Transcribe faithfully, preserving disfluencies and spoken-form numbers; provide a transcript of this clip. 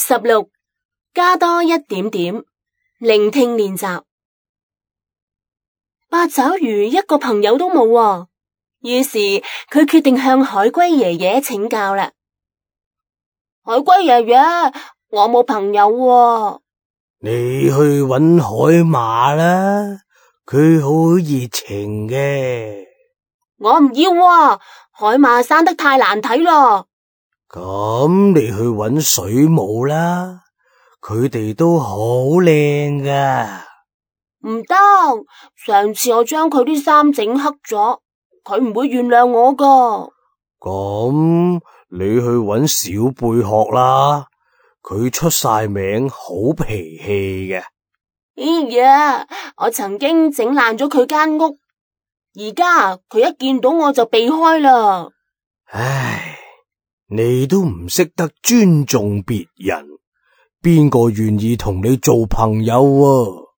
十六，加多一點點，聆聽練習。八爪魚一個朋友都冇喎，於是佢決定向海龜爺爺請教啦。海龜爺爺，我冇朋友喎。你去搵海馬啦，佢好熱情嘅。我唔要喎，海馬生得太難睇咯。咁你去搵水母啦，佢哋都好靚噶。唔得，上次我將佢啲衫整黑咗，佢唔會原諒我噶。咁你去搵小貝殼啦，佢出晒名，好脾氣嘅。哎呀，我曾經整爛咗佢間屋，而家佢一見到我就避開啦。唉，你都唔識得尊重別人，邊個願意同你做朋友啊？